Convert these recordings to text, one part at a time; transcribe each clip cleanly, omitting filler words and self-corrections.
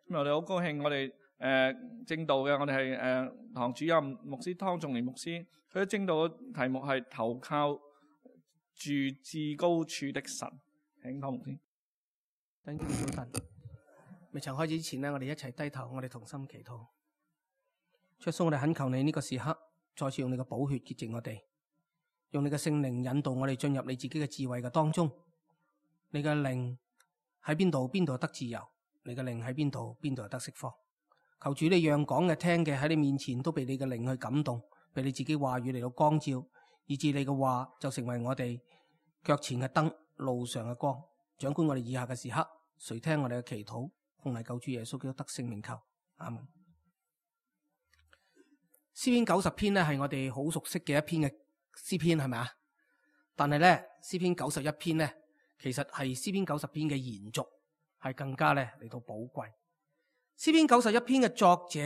今日我哋好高興，我哋正道嘅，我哋係堂主任牧師湯仲年牧師，佢嘅正道嘅題目係投靠住至高處的神。請湯牧師。等住早晨，未曾開始之前呢，我哋一齊低頭，我哋同心祈禱。主耶穌，我哋懇求你呢個時刻，再次用你嘅寶血潔淨我哋，用你嘅聖靈引導我哋進入你自己嘅智慧嘅當中。你嘅靈喺邊度，邊度得自由；你嘅靈喺邊度，邊度得釋放。求主你讓講嘅聽嘅喺你面前都被你嘅靈去感動，被你自己話語嚟到光照，以致你嘅話就成為我哋腳前嘅燈，路上嘅光。掌管我哋以下嘅時刻，垂聽我哋嘅祈禱，奉嚟救主耶穌基督得聖名求，阿門。詩篇90篇呢係我哋好熟悉嘅一篇嘅詩篇，係咪啊？但係咧詩篇91篇呢，其實係詩篇90篇嘅延續，係更加咧嚟到寶貴。詩篇91篇嘅作者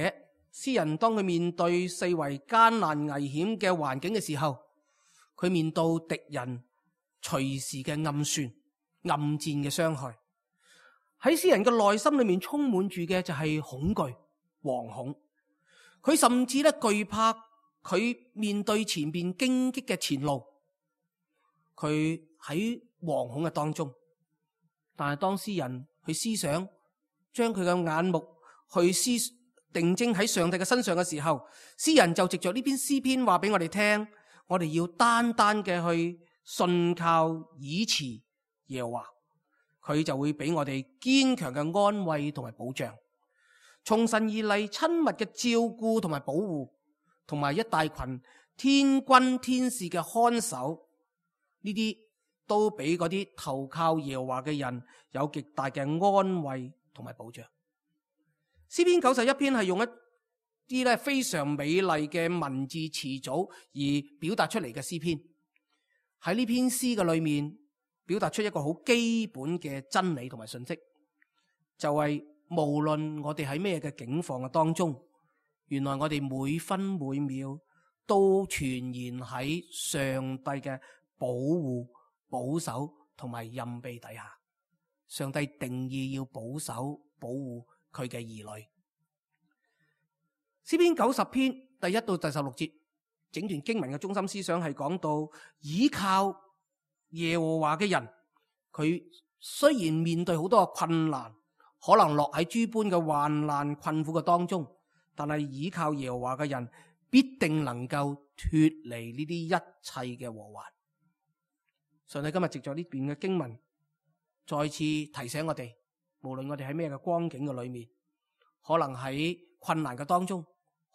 詩人，當佢面對四圍艱難危險嘅環境嘅時候，佢面對敵人隨時嘅暗算、暗戰嘅傷害，喺詩人嘅內心裏面充滿住嘅就係恐懼、惶恐。佢甚至咧懼怕佢面對前邊荊棘嘅前路，佢喺惶恐嘅當中。但係當詩人去思想，將佢嘅眼目去定睛喺上帝嘅身上嘅時候，詩人就藉着呢篇詩篇話俾我哋聽，我哋要單單嘅去信靠倚持耶和華，佢就會俾我哋堅強嘅安慰同埋保障。從神而嚟親密嘅照顧同埋保護，同埋一大群天軍天使嘅看守，呢啲都俾嗰啲投靠耶和華嘅人有極大嘅安慰同埋保障。詩篇91篇係用一啲咧非常美麗嘅文字詞組而表達出嚟嘅詩篇。喺呢篇詩嘅裏面，表達出一個好基本嘅真理同埋信息，就係無論我哋喺咩嘅境況嘅當中，原來我哋每分每秒都全然喺上帝嘅保護、保守同埋蔭庇底下。上帝定義要保守、保護佢嘅兒女。詩篇90篇第1到第16節，整段經文嘅中心思想係講到倚靠耶和華嘅人，佢雖然面對好多嘅困難，可能落喺諸般嘅患難困苦嘅當中，但係倚靠耶和華嘅人必定能夠脫離呢啲一切嘅禍患。上帝今日藉着呢段嘅經文，再次提醒我哋，無論我哋喺咩嘅光景嘅裏面，可能喺困難嘅當中，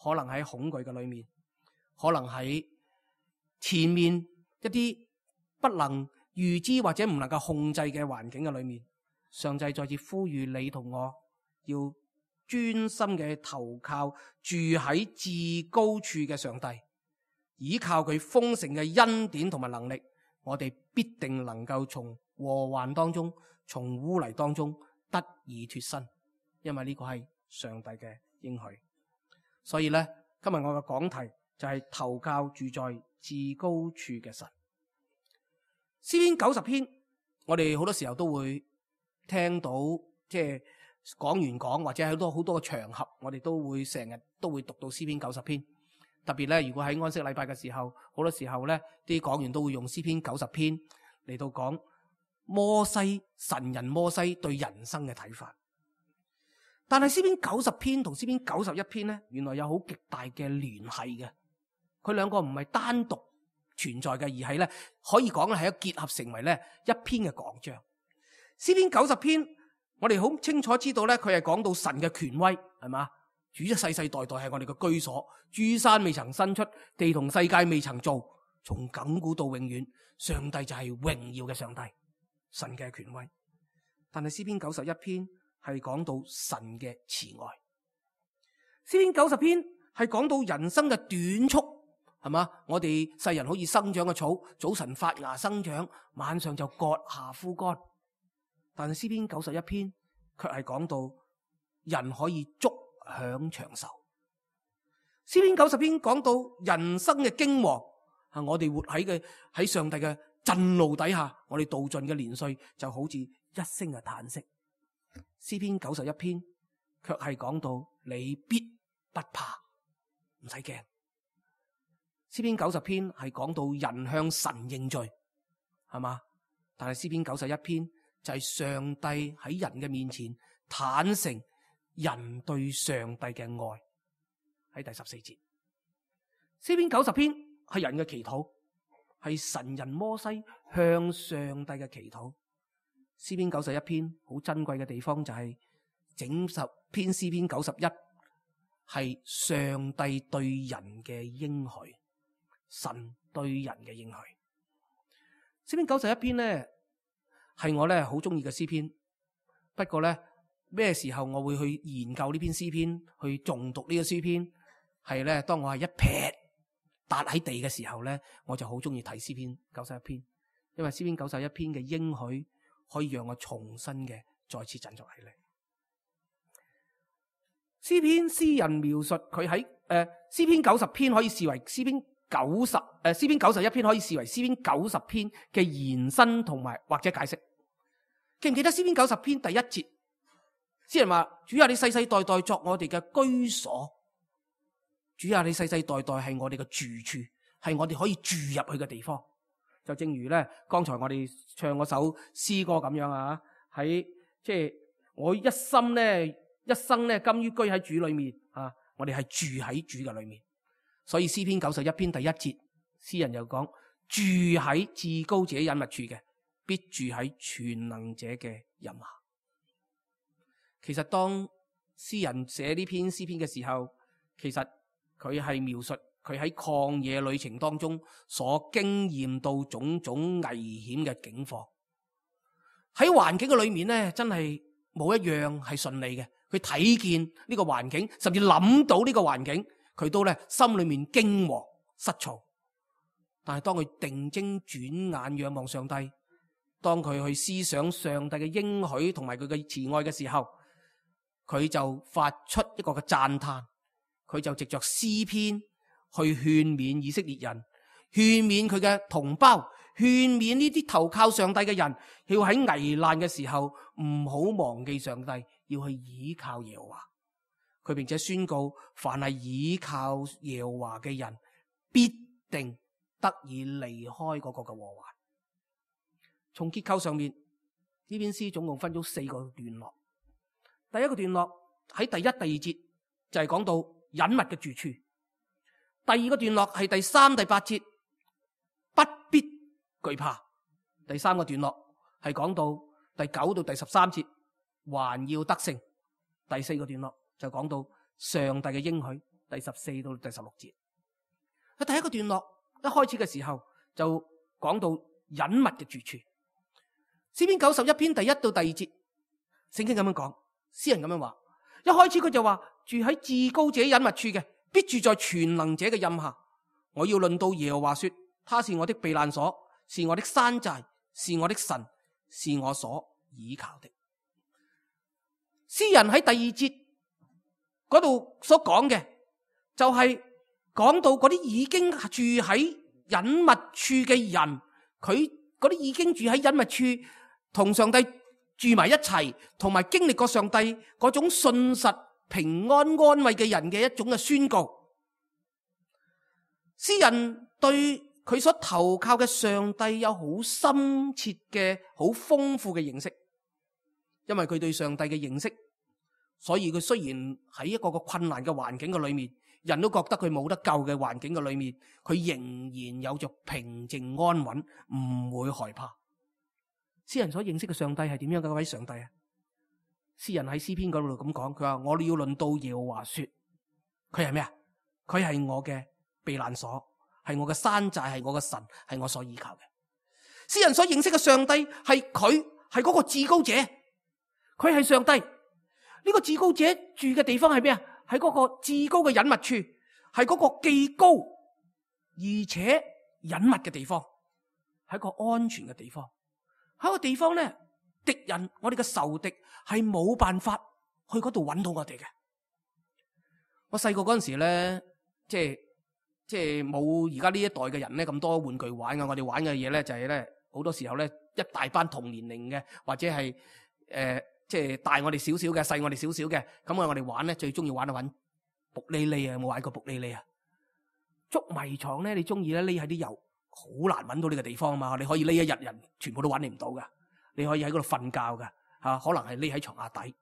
可能喺恐懼嘅裏面，可能喺前面一啲不能預知或者唔能夠控制嘅環境嘅裏面，上帝再次呼籲你同我要專心嘅投靠住喺至高處嘅上帝，依靠佢豐盛嘅恩典同埋能力，我哋必定能夠從禍患當中、從污泥當中得以脫身，因為呢個係上帝嘅應許。所以咧，今日我嘅講題就係投靠住在至高處嘅神。詩篇90篇，我哋好多時候都會聽到，即係講完講，或者喺好多嘅場合，我哋都會成日都會讀到詩篇90篇。特別咧，如果喺安息禮拜嘅時候，好多時候咧，啲講員都會用詩篇90篇嚟到講神人摩西對人生嘅睇法。但係詩篇90篇同詩篇91篇咧，原來有好極大嘅聯繫嘅。佢兩個唔係單獨存在嘅，而係咧可以講咧係一結合成為咧一篇嘅講章。詩篇90篇，我哋好清楚知道咧，佢係講到神嘅權威，係嘛？主一世世代代係我哋嘅居所，諸山未曾生出，地同世界未曾造，從亙古到永遠，上帝就係榮耀嘅上帝，神嘅權威。但係詩篇91篇係講到神嘅慈愛，詩篇90篇係講到人生嘅短促，係嘛？我哋世人好似生長嘅草，早晨發芽生長，晚上就割下枯乾。但係詩篇91篇卻係講到人可以足享長壽。詩篇90篇講到人生嘅驚惶，我哋活喺上帝嘅震怒底下，我哋度盡嘅年歲就好似一聲嘅嘆息。詩篇91篇卻係講到你必不怕，唔使驚。詩篇90篇係講到人向神認罪，係嘛？但係詩篇91篇就係上帝喺人嘅面前坦誠人對上帝嘅愛，喺第14節。詩篇90篇係人嘅祈禱，係神人摩西向上帝嘅祈禱。詩篇91篇好珍貴嘅地方就係整十篇詩篇91係上帝對人嘅應許，神對人嘅應許。詩篇91篇咧係我咧好中意嘅詩篇，不過咧咩時候我會去研究呢篇詩篇，去誦讀呢個詩篇，係咧當我係一撇笪喺地嘅時候咧，我就好中意睇詩篇91篇，因為詩篇91篇嘅應許可以讓我重新嘅再次振作起嚟。詩篇詩人描述佢喺詩篇90篇可以視為詩篇91篇可以視為詩篇90篇嘅延伸同埋或者解釋。記唔記得詩篇90篇第1節？詩人話：主啊，你世世代代作我哋嘅居所。主啊，你世世代代係我哋嘅住處，係我哋可以住入去嘅地方。就正如咧，剛才我哋唱嗰首詩歌咁樣啊，喺即係我一生咧甘於居喺主裏面啊，我哋係住喺主嘅裏面。所以詩篇91篇第1節，詩人又講：住喺至高者隱密處嘅，必住喺全能者嘅蔭下。其實當詩人寫呢篇詩篇嘅時候，其實佢係描述佢喺曠野旅程當中所經驗到種種危險嘅境況。喺環境嘅裏面咧，真係冇一樣係順利嘅。佢睇見呢個環境，甚至諗到呢個環境，佢都咧心裏面驚惶失措。但係當佢定睛轉眼仰望上帝，當佢去思想上帝嘅應許同埋佢嘅慈愛嘅時候，佢就發出一個嘅讚嘆。佢就藉着詩篇去勸勉以色列人，勸勉佢嘅同胞，勸勉呢啲投靠上帝嘅人，要喺危難嘅時候唔好忘記上帝，要去倚靠耶和華。佢並且宣告，凡係倚靠耶和華嘅人，必定得以離開嗰個嘅禍患。從結構上面，呢篇詩總共分咗4個段落。第一個段落喺第1、第2節就係講到隱密嘅住處。第二個段落係第3、第8節，不必懼怕。第3個段落係講到第9到第13節，還要得勝。第4個段落就講到上帝嘅應許，第14到第16節。喺第一個段落一開始嘅時候就講到隱密嘅住處。詩篇91篇第1到第2節，聖經咁樣講，詩人咁樣話，一開始佢就話，住喺至高者隱密處嘅，必住在全能者嘅蔭下。我要論到耶和華說，他是我的避難所，是我的山寨，是我的神，是我所倚靠的。詩人喺第2節嗰度所講嘅，就係講到嗰啲已經住喺隱密處嘅人，佢嗰啲已經住喺隱密處，同上帝住埋一齊，同埋經歷過上帝嗰種信實平安安慰嘅人嘅一種嘅宣告。詩人對佢所投靠嘅上帝有好深切嘅、好豐富嘅認識，因為佢對上帝嘅認識，所以佢雖然喺一個困難嘅環境嘅裏面，人都覺得佢冇得救嘅環境嘅裏面，佢仍然有着平靜安穩，唔會害怕。詩人所認識嘅上帝係點樣嘅一位上帝啊？詩人喺詩篇嗰度咁講，佢話，我要論到耶和華說，佢係咩啊？佢係我嘅避難所，係我嘅山寨，係我嘅神，係我所依靠嘅。詩人所認識嘅上帝係佢，係嗰個至高者，佢係上帝。呢個至高者住嘅地方係咩啊？係嗰個至高嘅隱密處，係嗰個既高而且隱密嘅地方，係一個安全嘅地方。喺個地方咧，敵人，我哋嘅仇敵係冇辦法去嗰度揾到我哋嘅。我細個嗰陣時咧，即係冇而家呢一代嘅人咧咁多玩具玩嘅。我哋玩嘅嘢咧就係咧好多時候咧一大班同年齡嘅或者係即係大我哋少少嘅，細我哋少少嘅，咁我哋玩咧最中意玩揾卜哩哩啊！有冇玩過卜哩哩啊？捉迷藏咧，你中意咧匿喺啲油好難揾到呢個地方啊嘛！你可以匿一日，人全部都揾你唔到噶。你可以喺嗰度瞓覺噶嚇，可能係匿喺床下底。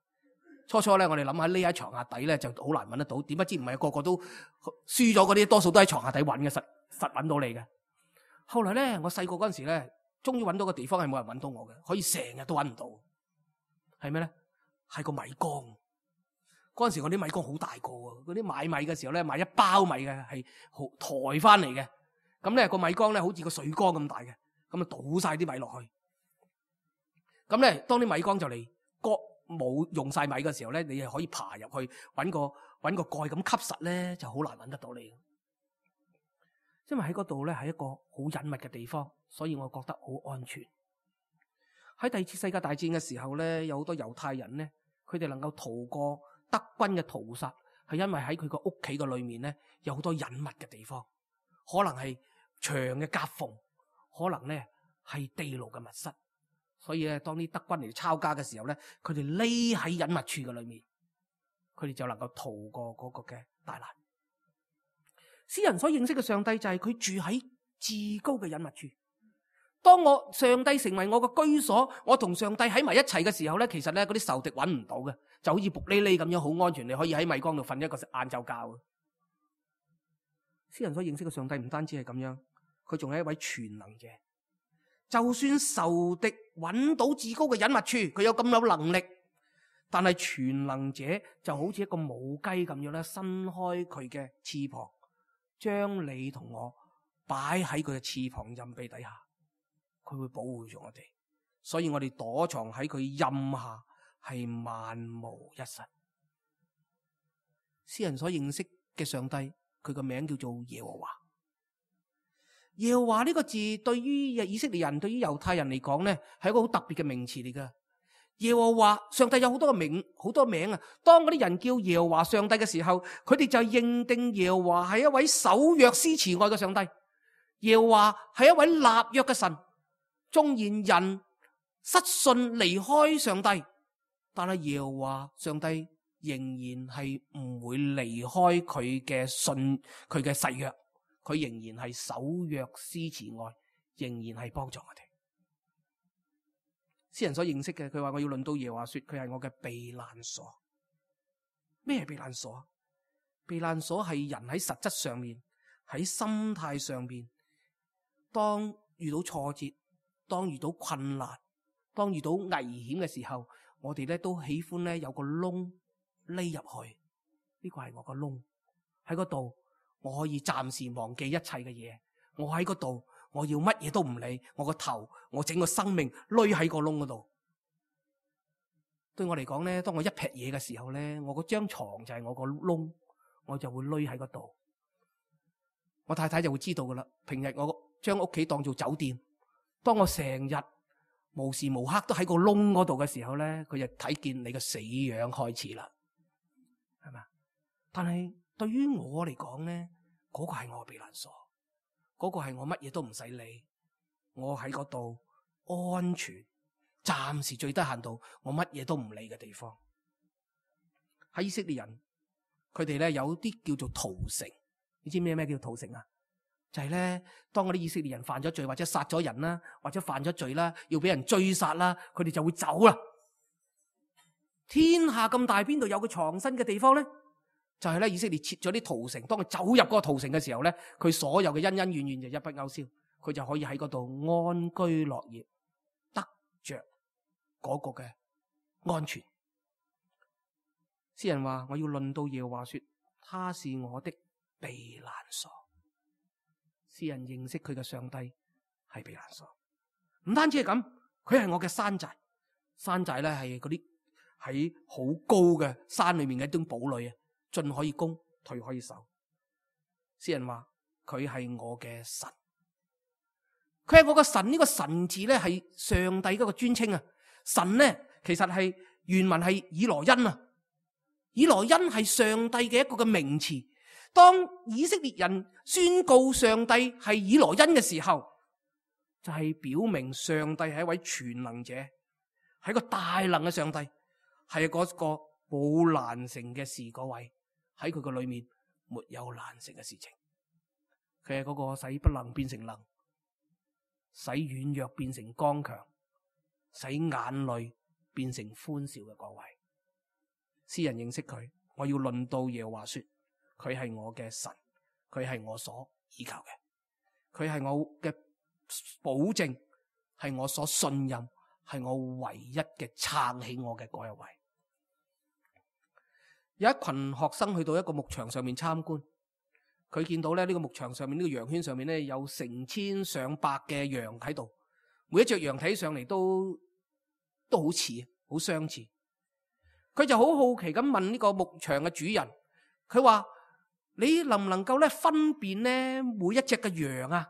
初初咧，我哋諗下匿喺床下底咧就好難揾得到，點不知唔係個個都輸咗嗰啲，多數都喺床下底揾嘅，實揾到你嘅。後來咧，我細個嗰陣時咧，終於揾到個地方係冇人揾到我嘅，可以成日都揾唔到。係咩咧？係個米缸。嗰陣時我啲米缸好大個喎，嗰啲買米嘅時候咧，買一包米嘅係抬翻嚟嘅。咁咧個米缸咧好似個水缸咁大嘅，咁啊倒晒啲米落去。咁咧當啲米缸就嚟冇用晒米嘅時候咧，你係可以爬入去揾個蓋咁吸實咧，就好難揾得到你。因為喺嗰度咧係一個好隱密嘅地方，所以我覺得好安全。喺第二次世界大戰嘅時候咧，有好多猶太人咧，佢哋能夠逃過德軍嘅屠殺，係因為喺佢個屋企嘅裏面咧有好多隱密嘅地方，可能係牆嘅夾縫，可能咧係地牢嘅密室。所以咧，當啲德軍嚟抄家嘅時候咧，佢哋匿喺隱密處嘅裏面，佢哋就能夠逃過嗰個嘅大難。詩人所認識嘅上帝就係佢住喺至高嘅隱密處。當上帝成為我嘅居所，我同上帝喺埋一齊嘅時候咧，其實咧嗰啲仇敵揾唔到嘅，就好似卜哩哩咁樣好安全，你可以喺米缸度瞓一個晏晝覺。詩人所認識嘅上帝唔單止係咁樣，佢仲係一位全能者。就算仇敵揾到至高嘅隱密處，佢有咁有能力，但係全能者就好似一個母雞咁樣咧，伸開佢嘅翅膀，將你同我擺喺佢嘅翅膀蔭庇底下，佢會保護住我哋，所以我哋躲藏喺佢蔭下係萬無一失。詩人所認識嘅上帝，佢個名叫做耶和華。耶和華呢個字對於以色列人、對於猶太人嚟講咧，係一個好特別嘅名詞嚟噶。耶和華上帝有好多個名，好多名啊。當嗰啲人叫耶和華上帝嘅時候，佢哋就認定耶和華係一位守約施慈愛嘅上帝。耶和華係一位立約嘅神。縱然人失信離開上帝，但係耶和華上帝仍然係唔會離開佢嘅信，佢嘅誓約。佢仍然係守約施慈愛，仍然係幫助我哋。詩人所認識嘅，佢話我要論到耶和華說，佢係我嘅避難所。咩係避難所？避難所係人喺實質上面，喺心態上面，當遇到挫折，當遇到困難，當遇到危險嘅時候，我哋咧都喜歡咧有個窿匿入去。呢個係我個窿，喺嗰度。我可以暫時忘記一切嘅嘢，我喺嗰度，我要乜嘢都唔理，我個頭，我整個生命匿喺個窿嗰度。對我嚟講咧，當我一劈嘢嘅時候咧，我嗰張床就係我個窿，我就會匿喺嗰度。我太太就會知道噶啦。平日我將屋企當做酒店，當我成日無時無刻都喺個窿嗰度嘅時候咧，佢就睇見你個死樣開始啦，係咪？但係對於我嚟講咧，嗰個係我嘅避難所，嗰個係我乜嘢都唔使理，我喺嗰度安全，暫時最低限度我乜嘢都唔理嘅地方。喺以色列人，佢哋咧有啲叫做逃城，你知咩叫逃城啊？就係咧，當嗰啲以色列人犯咗罪或者殺咗人啦，或者犯咗罪啦，要俾人追殺啦，佢哋就會走啦。天下咁大，邊度有個藏身嘅地方咧？就係咧，以色列設咗啲逃城，當佢走入嗰個逃城嘅時候咧，佢所有嘅恩恩怨怨就一筆勾銷，佢就可以喺嗰度安居樂業，得着嗰個嘅安全。詩人話：我要論到耶和華說，他是我的避難所。詩人認識佢嘅上帝係避難所，唔單止係咁，佢係我嘅山寨。山寨咧係嗰啲喺好高嘅山裏面嘅一種堡壘啊。進可以攻，退可以守。詩人話佢係我嘅神，佢係我嘅神。呢個神字咧係上帝嗰個尊稱啊。神咧其實係原文係以羅恩啊，以羅恩係上帝嘅一個嘅名詞。當以色列人宣告上帝係以羅恩嘅時候，就係表明上帝係一位全能者，係一個大能嘅上帝。係嗰個冇難成嘅事嗰位，喺佢個裏面沒有難成嘅事情。佢係嗰個使不能變成能，使軟弱變成剛強，使眼淚變成歡笑嘅嗰位。詩人認識佢，我要論到耶和華說，佢係我嘅神，佢係我所依靠嘅，佢係我嘅保證，係我所信任，係我唯一嘅撐起我嘅嗰一位。有一群學生去到一個牧場上面參觀，佢見到咧呢個牧場上面呢個羊圈上面咧有成千上百嘅羊喺度，每一隻羊睇上嚟都好似，好相似。佢就好好奇咁問呢個牧場嘅主人，佢話：你能唔能夠咧分辨咧每一隻嘅羊啊？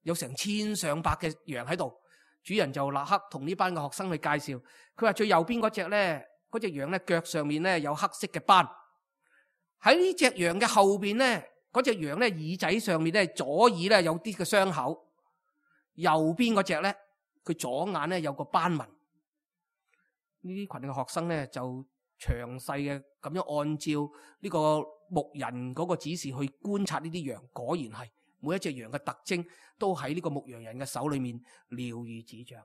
有成千上百嘅羊喺度。主人就立刻同呢班嘅學生去介紹，佢話最右邊嗰隻咧，嗰隻羊咧腳上面咧有黑色嘅斑，喺呢隻羊嘅後邊咧，嗰隻羊咧耳仔上面咧左耳咧有啲嘅傷口，右邊嗰隻咧佢左眼咧有個斑紋。呢啲群嘅學生咧就詳細嘅咁樣按照呢個牧人嗰個指示去觀察呢啲羊，果然係每一隻羊嘅特徵都喺呢個牧羊人嘅手裏面了如指掌。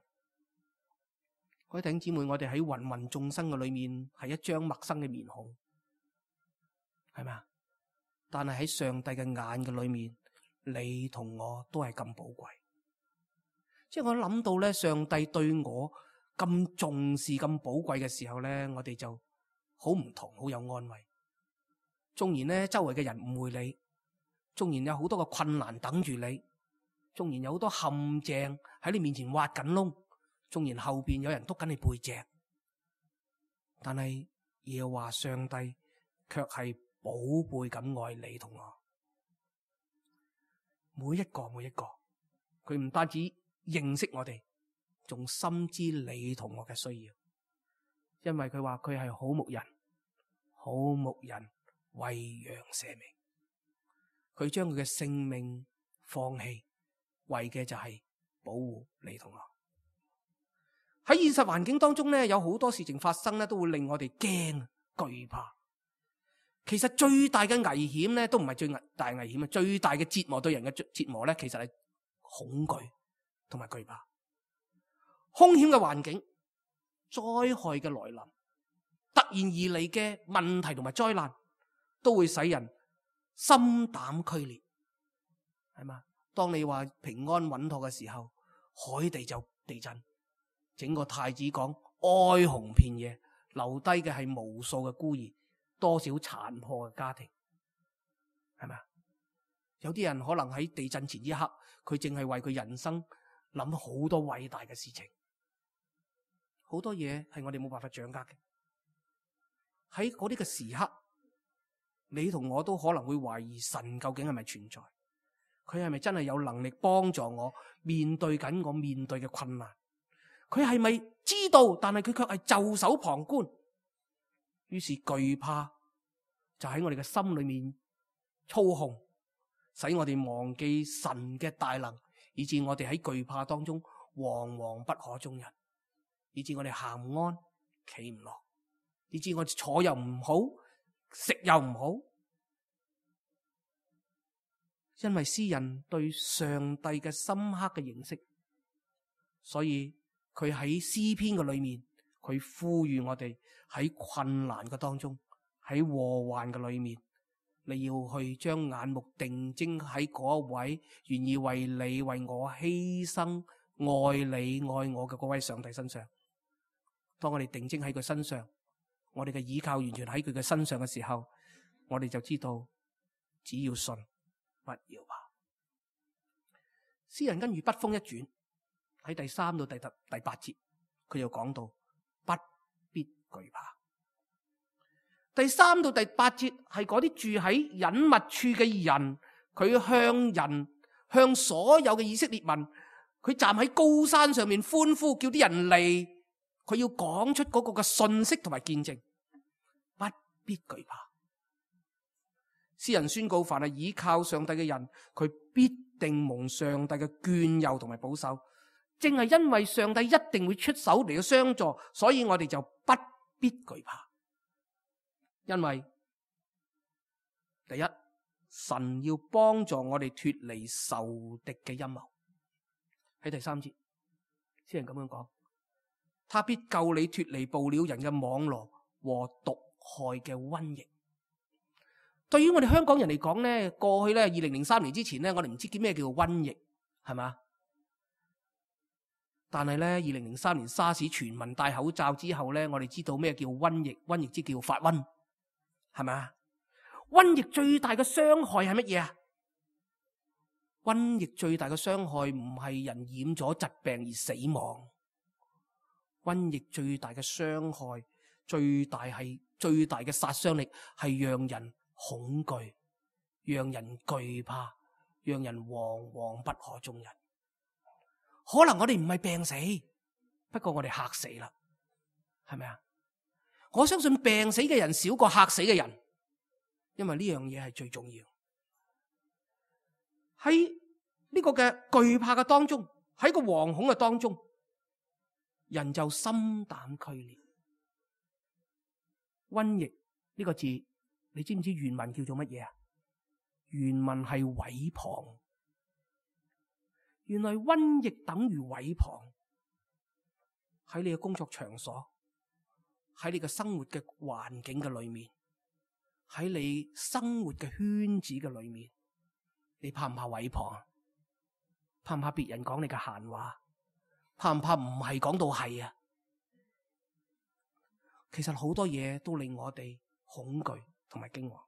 各位弟兄姊妹，我哋喺芸芸眾生嘅裏面係一張陌生嘅面孔，係咪啊？但係喺上帝嘅眼嘅裏面，你同我都係咁寶貴。即係我諗到咧，上帝對我咁重視、咁寶貴嘅時候咧，我哋就好唔同，好有安慰。縱然咧，周圍嘅人誤會你，縱然有好多個困難等住你，縱然有好多陷阱喺你面前挖緊窿，縱然後邊有人督緊你背脊，但係耶和華上帝卻係寶貝咁愛你同我。每一個，佢唔單止認識我哋，仲深知你同我嘅需要，因為佢話佢係好牧人，好牧人為羊捨命，佢將佢嘅性命放棄，為嘅就係保護你同我。喺現實環境當中咧，有好多事情發生咧，都會令我哋驚懼怕。其實最大嘅危險咧，都唔係最大危險啊！最大嘅折磨，對人嘅折磨咧，其實係恐懼同埋懼怕。兇險嘅環境、災害嘅來臨、突然而嚟嘅問題同埋災難，都會使人心膽俱裂，係嘛？當你話平安穩妥嘅時候，海地就地震，整個太子港哀鴻遍野，留低嘅係無數嘅孤兒，多少殘破嘅家庭，係咪？有啲人可能喺地震前一刻，佢淨係為佢人生諗好多偉大嘅事情，好多嘢係我哋冇辦法掌握嘅。喺嗰啲嘅時刻，你同我都可能會懷疑神究竟係咪存在，佢係咪真係有能力幫助我面對緊我面對嘅困難，佢係咪知道，但係佢卻係袖手旁觀。於是懼怕就喺我哋嘅心裏面操控，使我哋忘記神嘅大能，以致我哋喺懼怕當中惶惶不可終日，以致我哋行唔安企唔落，以致我哋坐又唔好，食又唔好。因為詩人對上帝嘅深刻嘅認識，所以佢喺詩篇嘅裏面，佢呼籲我哋喺困難嘅當中，喺禍患嘅裏面，你要去將眼目定睛喺嗰一位願意為你為我犧牲愛你愛我嘅嗰位上帝身上。當我哋定睛喺佢身上，我哋嘅倚靠完全喺佢嘅身上嘅時候，我哋就知道只要信不要怕。詩人跟住筆鋒一轉，喺第3到第8節，佢又講到不必懼怕。第3到第8節係嗰啲住喺隱密處嘅人，佢向所有嘅以色列民，佢站喺高山上面歡呼，叫啲人嚟，佢要講出嗰個嘅信息同埋見證，不必懼怕。詩人宣告，凡係倚靠上帝嘅人，佢必定蒙上帝嘅眷佑同埋保守。正係因為上帝一定會出手嚟到相助，所以我哋就不必懼怕，因為第一，神要幫助我哋脫離仇敵嘅陰謀。喺第3節，詩人咁樣講，他必救你脫離捕鳥人嘅網羅和毒害嘅瘟疫。對於我哋香港人嚟講咧，過去咧2003年之前咧，我哋唔知叫咩叫做瘟疫，係嘛？但係咧2003年沙士全民戴口罩之後咧，我哋知道咩叫瘟疫，瘟疫即叫發瘟，係咪？瘟疫最大嘅傷害係乜嘢啊？瘟疫最大嘅傷害唔係人染咗疾病而死亡，瘟疫最大嘅傷害，最大嘅殺傷力係讓人恐懼，讓人懼怕，讓人惶惶不可終日。可能我哋唔係病死，不過我哋嚇死啦，係咪啊？我相信病死嘅人少過嚇死嘅人，因為呢樣嘢係最重要。喺呢個嘅懼怕嘅當中，喺個惶恐嘅當中，人就心膽俱裂。瘟疫呢個字，你知唔知原文叫做乜嘢啊？原文係毀謗。原來瘟疫等於毀謗。喺你嘅工作場所，喺你嘅生活嘅環境嘅裏面，喺你生活嘅圈子嘅裏面，你怕唔怕毀謗啊？怕唔怕別人講你嘅閒話？怕唔怕唔係講到係啊？其實好多嘢都令我哋恐懼同埋驚惶，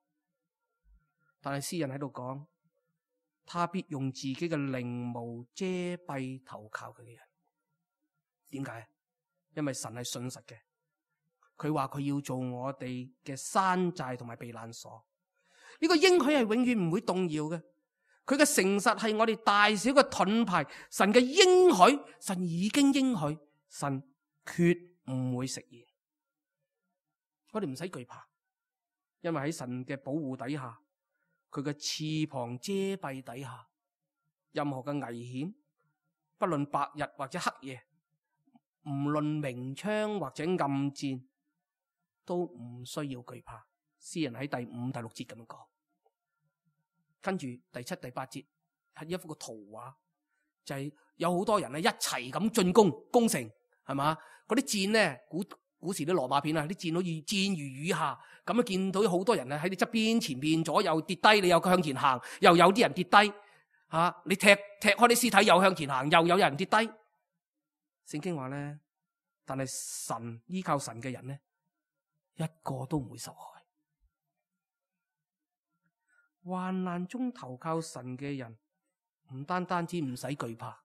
但係詩人喺度講，他必用自己嘅翎毛遮蔽投靠佢嘅人。點解？因為神係信實嘅，佢話佢要做我哋嘅山寨同埋避難所。呢個應許係永遠唔會動搖嘅，佢嘅誠實係我哋大小嘅盾牌。神嘅應許，神已經應許，神決唔會食言。我哋唔使懼怕，因為喺神嘅保護底下，佢嘅翅膀遮蔽底下，任何嘅危險，不論白日或者黑夜，唔論明槍或者暗箭，都唔需要懼怕。詩人喺第5、第6節咁樣講，跟住第7、第8節係一幅個圖畫，就係有好多人咧一齊咁進攻城，係嘛？嗰啲箭咧，古時啲羅馬片啊，啲箭好似箭如雨下，咁啊見到好多人啊喺你側邊、前邊、左右跌低，你又向前行，又有啲人跌低，你踢開啲屍體又向前行，又有人跌低。聖經話咧，但係神依靠神嘅人咧，一個都唔會受害。患難中投靠神嘅人，唔單止唔使懼怕，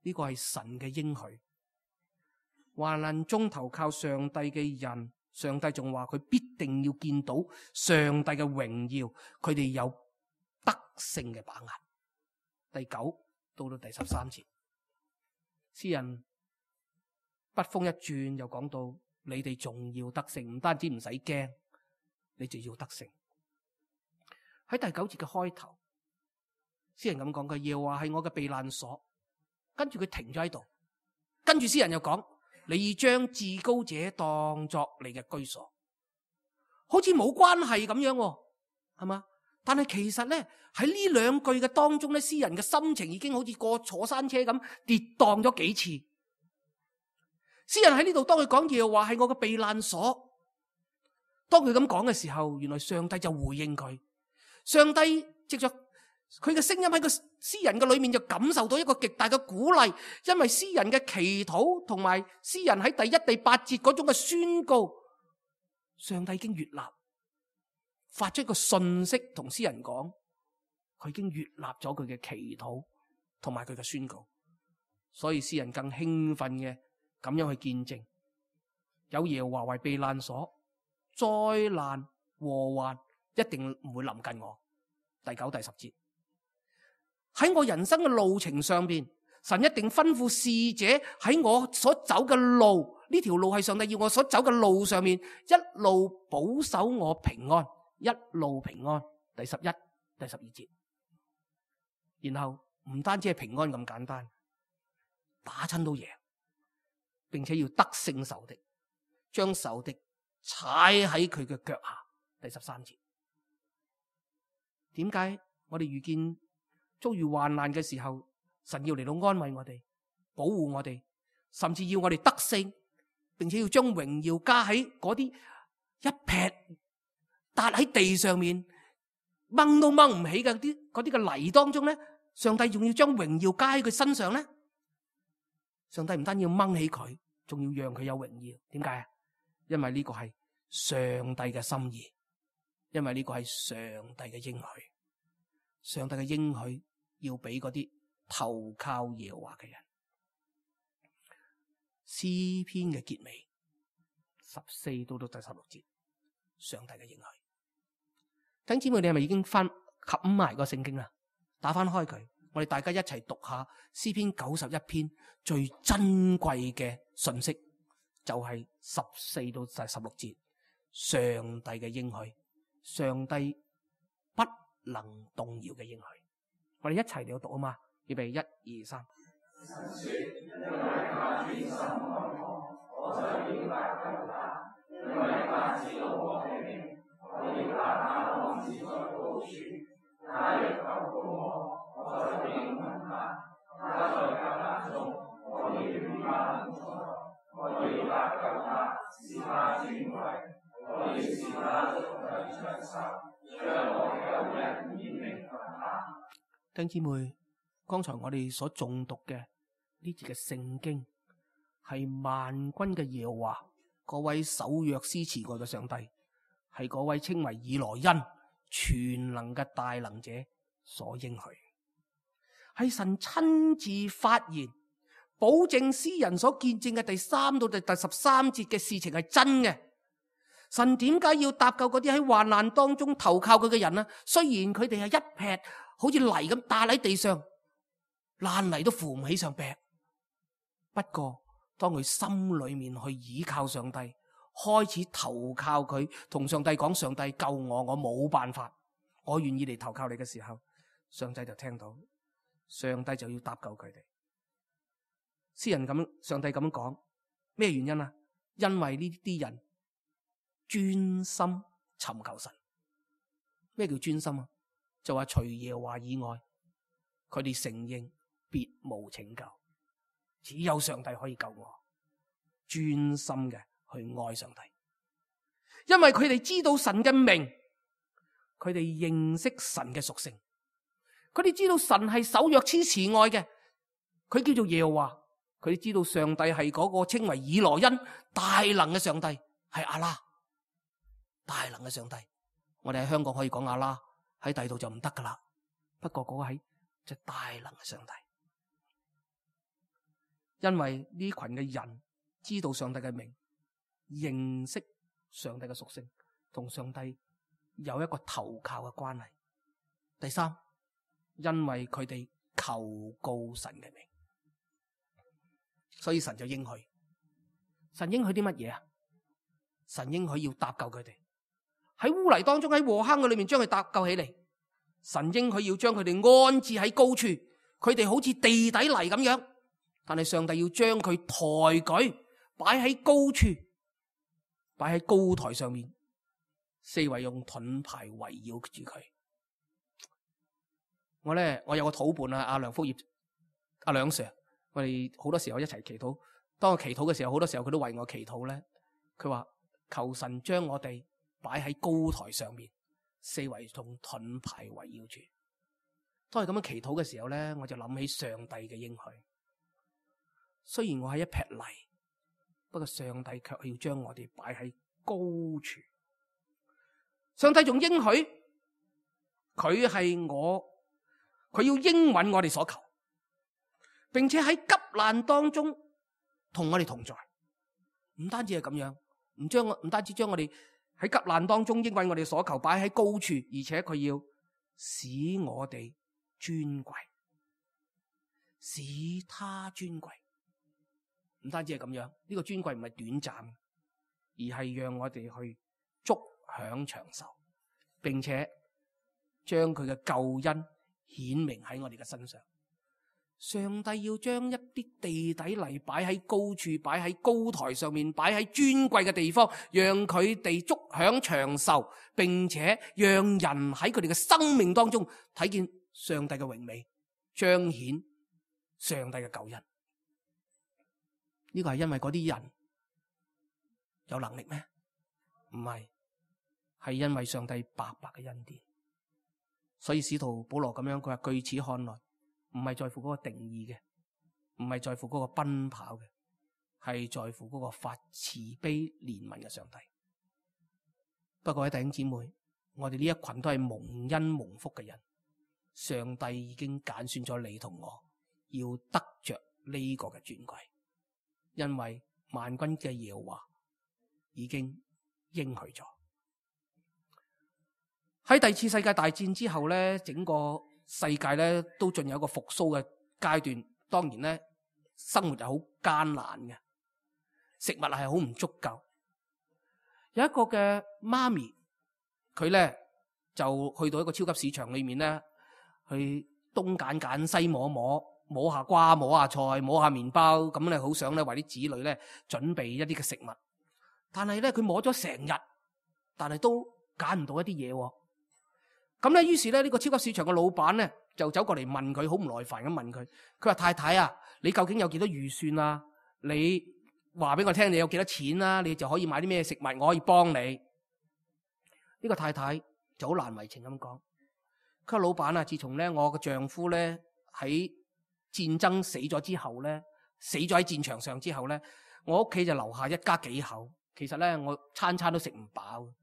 呢個係神嘅應許。患難中投靠上帝嘅人，上帝仲話佢必定要見到上帝嘅榮耀，佢哋有得勝嘅把握。第9到第13節，詩人筆鋒一轉，又講到你哋仲要得勝，唔單止唔使驚，你就要得勝。喺第9節嘅開頭，詩人咁講嘅，耶和華係我嘅避難所。跟住佢停咗喺度，跟住詩人又講，你將至高者當作你嘅居所，好似冇關係咁樣，係嘛？但係其實咧，喺呢兩句嘅當中咧，詩人嘅心情已經好似過坐山車咁跌宕咗幾次。詩人喺呢度當佢講耶和華係我嘅避難所，當佢咁講嘅時候，原來上帝就回應佢。上帝藉着佢嘅聲音喺個詩人嘅裏面就感受到一個極大嘅鼓勵，因為詩人嘅祈禱同埋詩人喺第1、第8節嗰種嘅宣告，上帝已經悅納，發出一個訊息同詩人講，佢已經悅納咗佢嘅祈禱同埋佢嘅宣告，所以詩人更興奮嘅咁樣去見證，有耶和華為避難所，災難禍患一定唔會臨近我。第9、第10節，喺我人生嘅路程上邊，神一定吩咐使者喺我所走嘅路，呢條路係上帝要我所走嘅路上面，一路保守我平安，一路平安。第11、第12節，然後唔單止係平安咁簡單，打親都贏，並且要得勝仇敵，將仇敵踩喺佢嘅腳下。第13節，點解我哋遇見遭遇患難嘅時候，神要嚟到安慰我哋，保護我哋，甚至要我哋得勝，並且要將榮耀加喺嗰啲一劈笪喺地上面掹都掹唔起嘅嗰啲嘅泥當中咧，上帝仲要將榮耀加喺佢身上咧？上帝唔單要掹起佢，仲要讓佢有榮耀。點解啊？因為呢個係上帝嘅心意，因為呢個係上帝嘅應許。上帝嘅應許要俾嗰啲投靠耶和華嘅人。詩篇嘅結尾14到第16節，上帝嘅應許。弟兄姊妹，你係咪已經冚埋個聖經啦？打翻開佢，我哋大家一齊讀下詩篇91篇最珍貴嘅信息，就係14到第16節，上帝嘅應許，上帝不能動搖嘅應許。我哋一齊嚟到讀啊嘛，預備1、2、3。弟兄姊妹，剛才我哋所誦讀嘅呢節嘅聖經，係萬軍嘅耶和華，嗰位守約施慈愛嘅上帝，係嗰位稱為以羅恩全能嘅大能者所應許，係神親自發言，保證詩人所見證嘅第3到第13節嘅事情係真嘅。神點解要搭救嗰啲喺患難當中投靠佢嘅人呢？雖然佢哋係一劈好似泥咁打喺地上，爛泥都扶唔起上劈。不過當佢心裏面去倚靠上帝，開始投靠佢，同上帝講：上帝救我，我冇辦法，我願意嚟投靠你嘅時候，上帝就聽到，上帝就要搭救佢哋。詩人咁，上帝咁樣講，咩原因啊？因為呢啲人專心尋求神。咩叫專心啊？就話除耶和華以外，佢哋承認別無拯救，只有上帝可以救我。專心嘅去愛上帝，因為佢哋知道神嘅名，佢哋認識神嘅屬性，佢哋知道神係守約施慈愛嘅，佢叫做耶和華。佢哋知道上帝係嗰個稱為以羅恩大能嘅上帝，係阿拉大能嘅上帝。我哋喺香港可以講阿拉，喺第度就唔得噶啦。不過嗰個係即係大能嘅上帝，因為呢群嘅人知道上帝嘅名，認識上帝嘅屬性，同上帝有一個投靠嘅關係。第三，因為佢哋求告神嘅名，所以神就應許。神應許啲乜嘢啊？神應許要搭救佢哋，喺污泥當中，喺禍坑嘅裏面將佢搭救起嚟。神應許要將佢哋安置喺高處，佢哋好似地底泥咁樣，但係上帝要將佢抬舉，擺喺高處，擺喺高台上面，四圍用盾牌圍繞住佢。我有個土伴啊，阿梁福業，阿梁 Sir， 我哋好多時候一齊祈禱。當我祈禱嘅時候，好多時候佢都為我祈禱咧。佢話求神將我哋擺喺高台上面，四圍用盾牌圍繞住。當係咁樣祈禱嘅時候咧，我就諗起上帝嘅應許。雖然我係一劈泥，不過上帝卻要將我哋擺喺高處。上帝仲應許佢係佢要應允我哋所求，並且喺急難當中同我哋同在。唔單止係咁樣，唔單止將我哋喺急難當中應允我哋所求擺喺高處，而且佢要使我哋尊貴，使他尊貴。唔單止係咁樣，呢個尊貴唔係短暫，而係讓我哋去足享長壽，並且將佢嘅救恩顯明喺我哋嘅身上。上帝要將一啲地底泥擺喺高處，擺喺高台上面，擺喺尊貴嘅地方，讓佢哋足享長壽，並且讓人喺佢哋嘅生命當中睇見上帝嘅榮美，彰顯上帝嘅救恩。呢個係因為嗰啲人有能力咩？唔係，係因為上帝白白嘅恩典。所以使徒保羅咁樣，佢話據此看來，唔係在乎嗰個定義嘅，唔係在乎嗰個奔跑嘅，係在乎嗰個發慈悲憐憫嘅上帝。不過，弟兄姊妹，我哋呢一群都係蒙恩蒙福嘅人，上帝已經揀選咗你同我，要得着呢個嘅尊貴，因為萬軍嘅耶和華已經應許咗。喺第二次世界大戰之後咧，整個世界咧都進入一個復甦嘅階段。當然咧，生活係好艱難嘅，食物係好唔足夠。有一個嘅媽咪，佢咧就去到一個超級市場裏面咧，去東揀揀西摸摸，摸下瓜，摸下菜，摸下麵包，咁咧好想咧為啲子女咧準備一啲嘅食物。但係咧佢摸咗成日，但係都揀唔到一啲嘢喎。咁咧，於是咧呢個超級市場嘅老闆咧就走過嚟問佢，好唔耐煩咁問佢。佢話：太太啊，你究竟有幾多預算啊？你話俾我聽，你有幾多錢啊？你就可以買啲咩食物，我可以幫你。呢個太太就好難為情咁講。佢話：老闆啊，自從咧我嘅丈夫咧喺戰爭死咗之後咧，死咗喺戰場上之後咧，我屋企就留下一家幾口。其實咧，我餐餐都食唔飽。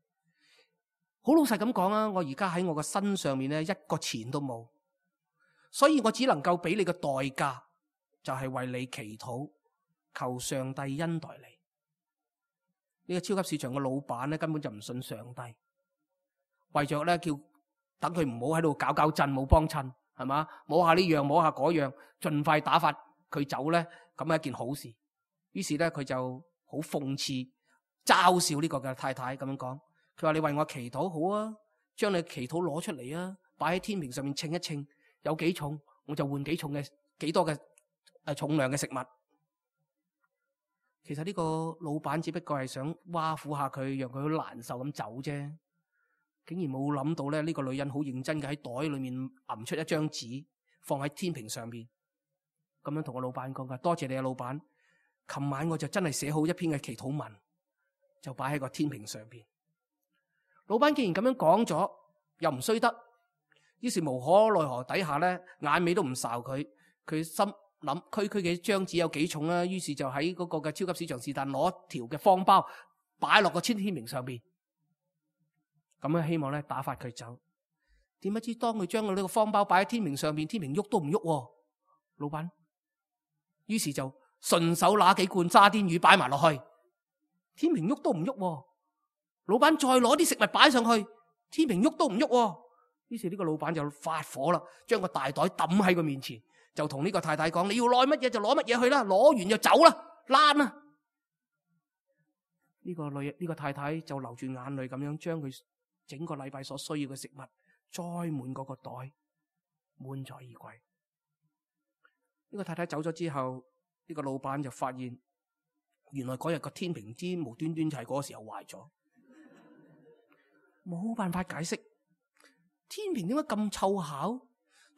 好老實咁講啊，我而家喺我嘅身上面咧一個錢都冇，所以我只能夠俾你嘅代價就係為你祈禱，求上帝恩待你。呢個超級市場嘅老闆咧根本就唔信上帝，為着咧叫等佢唔好喺度搞搞震，冇幫襯，係嘛？摸下呢樣，摸下嗰樣，盡快打發佢走咧，咁係一件好事。於是咧佢就好諷刺、嘲笑呢個嘅太太咁樣講。佢話：你為我祈禱好啊，將你祈禱攞出嚟啊，擺喺天平上面稱一稱，有幾重我就換幾重嘅幾多嘅重量嘅食物。其實呢個老闆只不過係想挖苦下佢，讓佢好難受咁走啫。竟然冇諗到咧，呢個女人好認真嘅喺袋裏面揞出一張紙，放喺天平上面，咁樣同個老闆講：多謝你啊，老闆。琴晚我就真係寫好一篇嘅祈禱文，就擺喺個天平上邊。老闆既然咁樣講咗，又唔衰得，於是無可奈何底下咧，眼尾都唔睄佢。佢心諗區區嘅張紙有幾重啊？於是就喺嗰個嘅超級市場是但攞條嘅方包擺落個天平上邊，咁樣希望咧打發佢走。點不知當佢將呢個方包擺喺天平上邊，天平喐都唔喐。老闆於是就順手拿幾罐沙甸魚擺埋落去，天平喐都唔喐。老闆再攞啲食物擺上去，天平喐都唔喐。於是呢個老闆就發火啦，將個大袋抌喺佢面前，就同呢個太太講：你要攞乜嘢就攞乜嘢去啦，攞完就走啦，躝啦！呢個太太就流住眼淚咁樣將佢整個禮拜所需要嘅食物載滿嗰個袋，滿載而歸。呢個太太走咗之後，呢個老闆就發現，原來嗰日個天平之無端端就係嗰個時候壞咗。冇辦法解釋，天平點解咁湊巧？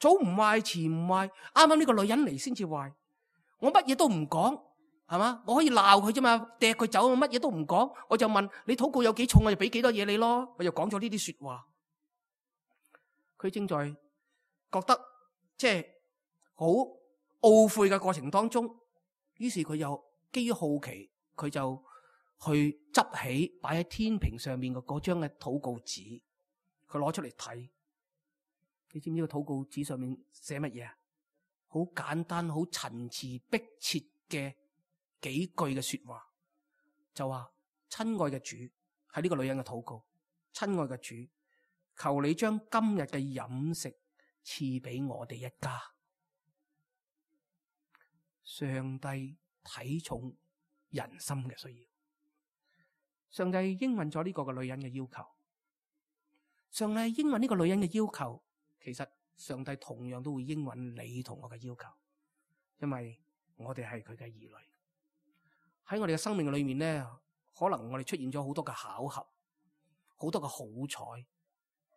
早唔壞，遲唔壞，啱啱呢個女人嚟先至壞。我乜嘢都唔講，係嘛？我可以鬧佢啫嘛，掟佢走，我乜嘢都唔講。我就問你禱告有幾重，我就俾幾多嘢你咯。我就講咗呢啲說話。佢正在覺得即係好懊悔嘅過程當中，於是佢又基於好奇，佢就去執起擺喺天平上面嘅嗰張嘅禱告紙，佢攞出嚟睇。你知唔知個禱告紙上面寫乜嘢啊？好簡單、好陳詞迫切嘅幾句嘅說話，就話：親愛嘅主，係呢個女人嘅禱告。親愛嘅主，求你將今日嘅飲食賜俾我哋一家。上帝睇重人心嘅需要。上帝應允咗呢個嘅女人嘅要求，上帝應允呢個女人嘅要求，其實上帝同樣都會應允你同我嘅要求。因為我哋係佢嘅兒女。喺我哋嘅生命裏面咧，可能我哋出現咗好多嘅巧合，好多嘅好彩。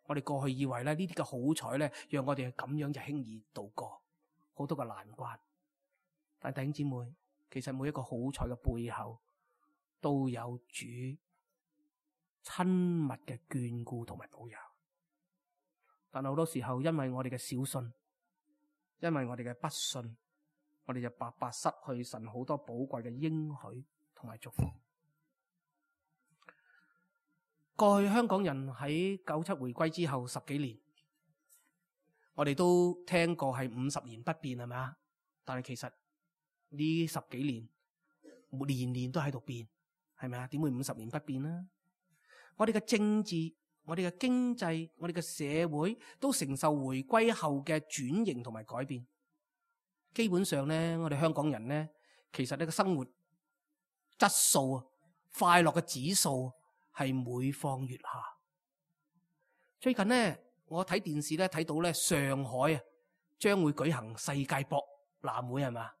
我哋過去以為咧呢啲嘅好彩咧，讓我哋咁樣就輕易度過好多嘅難關。但弟兄姊妹，其實每一個好彩嘅背後，都有主親密嘅眷顧同埋保佑。但係好多時候，因為我哋嘅小信，因為我哋嘅不信，我哋就白白失去神好多寶貴嘅應許同埋祝福。過去香港人喺97回歸之後10幾年，我哋都聽過係50年不變，係咪啊？但係其實呢10幾年年年都喺度變，係咪啊？點會50年不變呢？我哋嘅政治、我哋嘅經濟、我哋嘅社會都承受回歸後嘅轉型同埋改變。基本上咧，我哋香港人咧，其實呢個生活質素啊、快樂嘅指數係每況愈下。最近咧，我睇電視咧睇到咧，上海啊將會舉行世界博覽會，係嘛？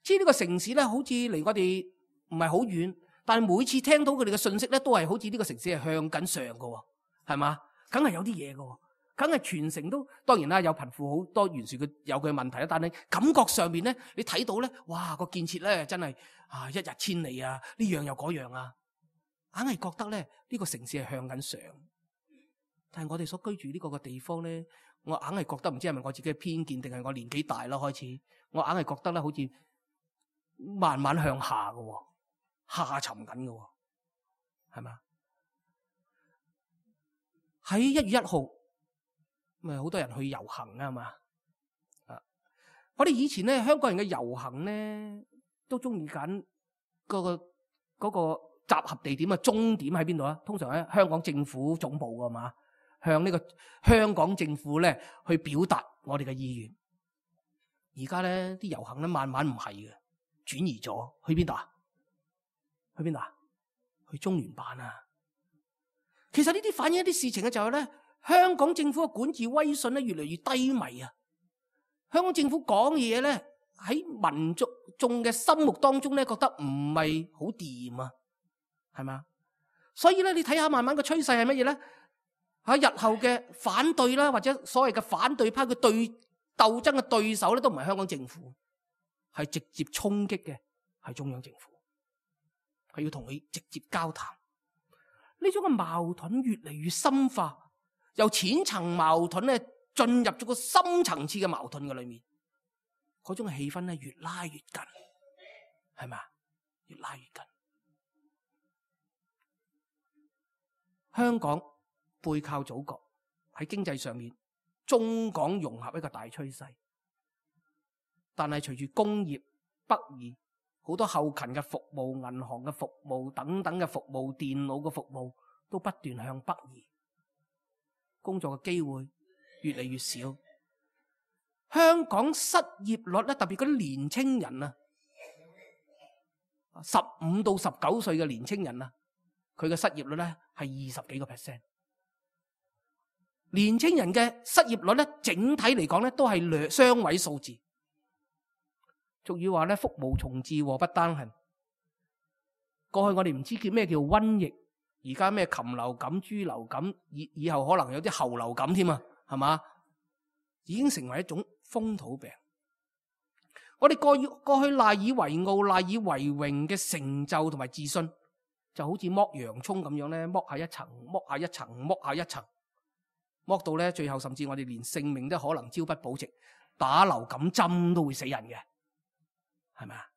知呢個城市咧，好似離我哋唔係好遠，但係每次聽到佢哋嘅信息咧，都係好似呢個城市係向緊上嘅，係嘛？梗係有啲嘢嘅，梗係全城都當然啦，有貧富好多懸殊嘅有佢嘅問題啦。但係感覺上面咧，你睇到咧，哇個建設咧真係一日千里啊！呢樣又嗰樣啊，硬係覺得咧呢個城市係向緊上。但係我哋所居住呢個嘅地方咧，我硬係覺得唔知係咪我自己嘅偏見，定係我年紀大啦開始，我硬係覺得咧好似慢慢向下嘅，下沉緊嘅，係咪？喺1月1號，咪好多人去遊行啊嘛。我哋以前咧香港人嘅遊行咧，都中意揀嗰個集合地點啊，終點喺邊度啊？通常喺香港政府總部㗎嘛，向呢個香港政府咧去表達我哋嘅意願。而家咧啲遊行咧慢慢唔係嘅，轉移咗去邊度啊？去邊度啊？去中聯辦啊！其實呢啲反映一啲事情嘅就係咧，香港政府嘅管治威信咧越嚟越低迷啊！香港政府講嘢咧喺民眾嘅心目當中咧覺得唔係好掂啊，係嘛？所以咧你睇下慢慢嘅趨勢係乜嘢咧？喺日後嘅反對啦，或者所謂嘅反對派嘅鬥爭嘅對手咧，都唔係香港政府，係直接衝擊嘅係中央政府，係要同佢直接交談。呢種嘅矛盾越嚟越深化，由淺層矛盾咧進入咗個深層次嘅矛盾嘅裏面，嗰種氣氛咧越拉越緊，係咪？越拉越緊。香港背靠祖國，喺經濟上面中港融合一個大趨勢，但係隨住工業北移，好多後勤嘅服務、銀行嘅服務等等嘅服務、電腦嘅服務都不斷向北移，工作嘅機會越嚟越少。香港失業率咧，特別嗰啲年青人啊，15到19歲嘅年青人啊，佢嘅失業率咧係20幾個%。年青人嘅失業率咧，整體嚟講咧都係雙位數字。俗語話咧，福無從至，禍不單行。過去我哋唔知叫咩叫瘟疫，而家咩禽流感、豬流感，以後可能有啲猴流感添啊，係嘛？已經成為一種風土病。我哋過去賴以為傲、賴以為榮嘅成就同埋自信，就好似剝洋蔥咁樣咧，剝下一層，剝下一層，剝下一層，剝到咧最後甚至我哋連性命都可能朝不保夕，打流感針都會死人嘅。係咪啊？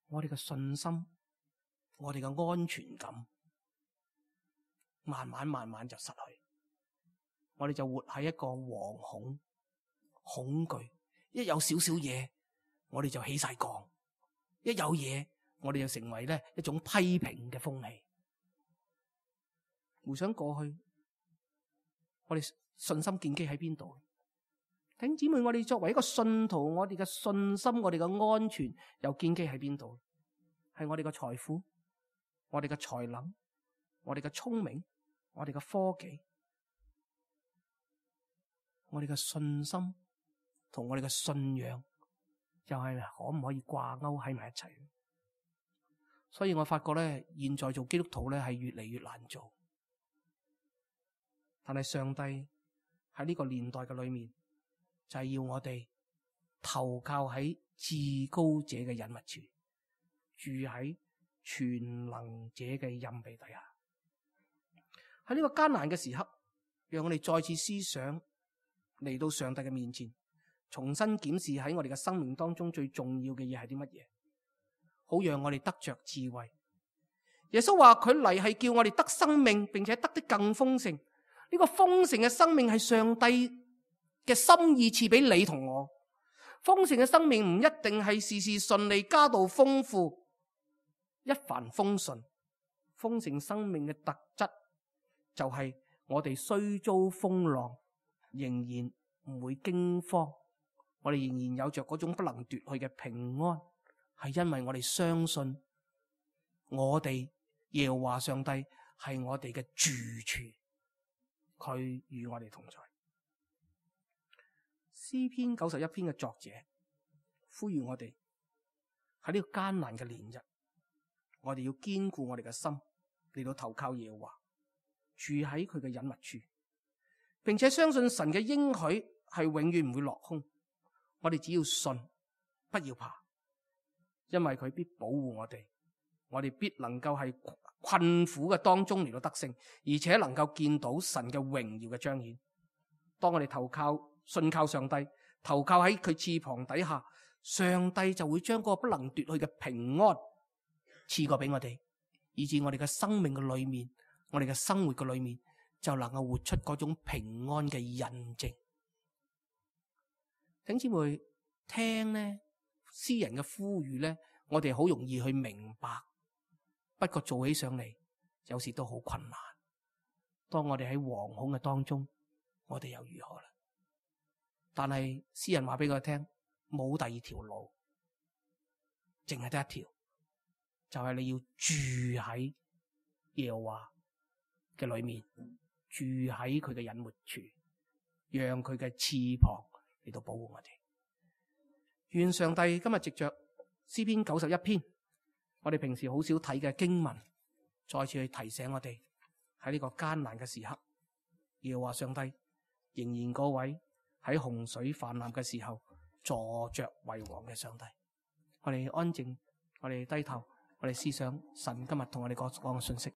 我哋嘅信心，我哋嘅安全感，慢慢就失去。我哋就活喺一個惶恐、恐懼。一有少少嘢，我哋就起晒槓；一有嘢，我哋就成為咧一種批評嘅風氣。回想過去，我哋信心建基喺邊度？弟兄姊妹，我哋作為一個信徒，我哋嘅信心、我哋嘅安全又建基喺邊度？係我哋嘅財富、我哋嘅才能、我哋嘅聰明、我哋嘅科技、我哋嘅信心同我哋嘅信仰又係可唔可以掛鈎喺埋一齊？所以我發覺咧，現在做基督徒咧係越嚟越難做。但係上帝喺呢個年代嘅裏面，就係要我哋投靠喺至高者嘅隱密處，住喺全能者嘅蔭庇底下。喺呢個艱難嘅時刻，讓我哋再次思想嚟到上帝嘅面前，重新檢視喺我哋嘅生命當中最重要嘅嘢係啲乜嘢，好讓我哋得着智慧。耶穌話佢嚟係叫我哋得生命，並且得的更豐盛。呢個豐盛嘅生命係上帝嘅心意賜俾你同我。豐盛嘅生命唔一定係事事順利、家道豐富、一帆風順。豐盛生命嘅特質就係我哋雖遭風浪，仍然唔會驚慌，我哋仍然有着嗰種不能奪去嘅平安，係因為我哋相信我哋耶和華上帝係我哋嘅住處，佢與我哋同在。詩篇91篇嘅作者呼籲我哋喺呢個艱難嘅年日，我哋要堅固我哋嘅心，嚟到投靠耶和華，住喺佢嘅隱密處，並且相信神嘅應許係永遠唔會落空。我哋只要信，不要怕，因為佢必保護我哋，我哋必能夠喺困苦嘅當中嚟到得勝，而且能夠見到神嘅榮耀嘅彰顯。當我哋信靠上帝，投靠喺佢翅膀底下，上帝就會將嗰個不能奪去嘅平安賜過俾我哋，以致我哋嘅生命嘅裏面，我哋嘅生活嘅裏面就能夠活出嗰種平安嘅印證。弟兄姊妹，聽呢詩人嘅呼籲呢，我哋好容易去明白，不過做起上嚟有時都好困難。當我哋喺惶恐嘅當中，我哋又如何啦？但係詩人話俾佢聽，冇第二條路，淨係得一條，就係你要住喺耶和華嘅裏面，住喺佢嘅隱密處，讓佢嘅翅膀嚟到保護我哋。願上帝今日藉着詩篇91篇，我哋平時好少睇嘅經文，再次去提醒我哋喺呢個艱難嘅時刻，耶和華上帝仍然嗰位喺洪水泛濫嘅時候坐着為王嘅上帝。我哋安靜，我哋低頭，我哋思想神今日同我哋講嘅信息。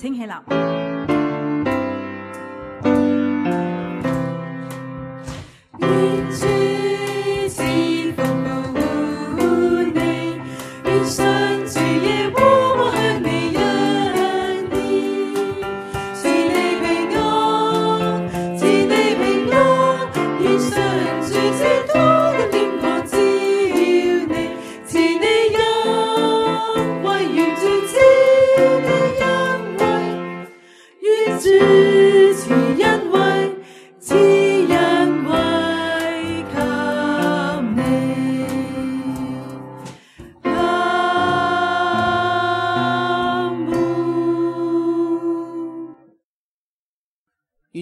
請起立。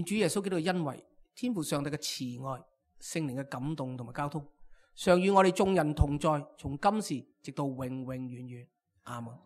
主耶穌基督嘅恩惠、天父上帝嘅慈愛、聖靈嘅感動同埋交通，常與我哋眾人同在，從今時直到永永遠遠。阿門。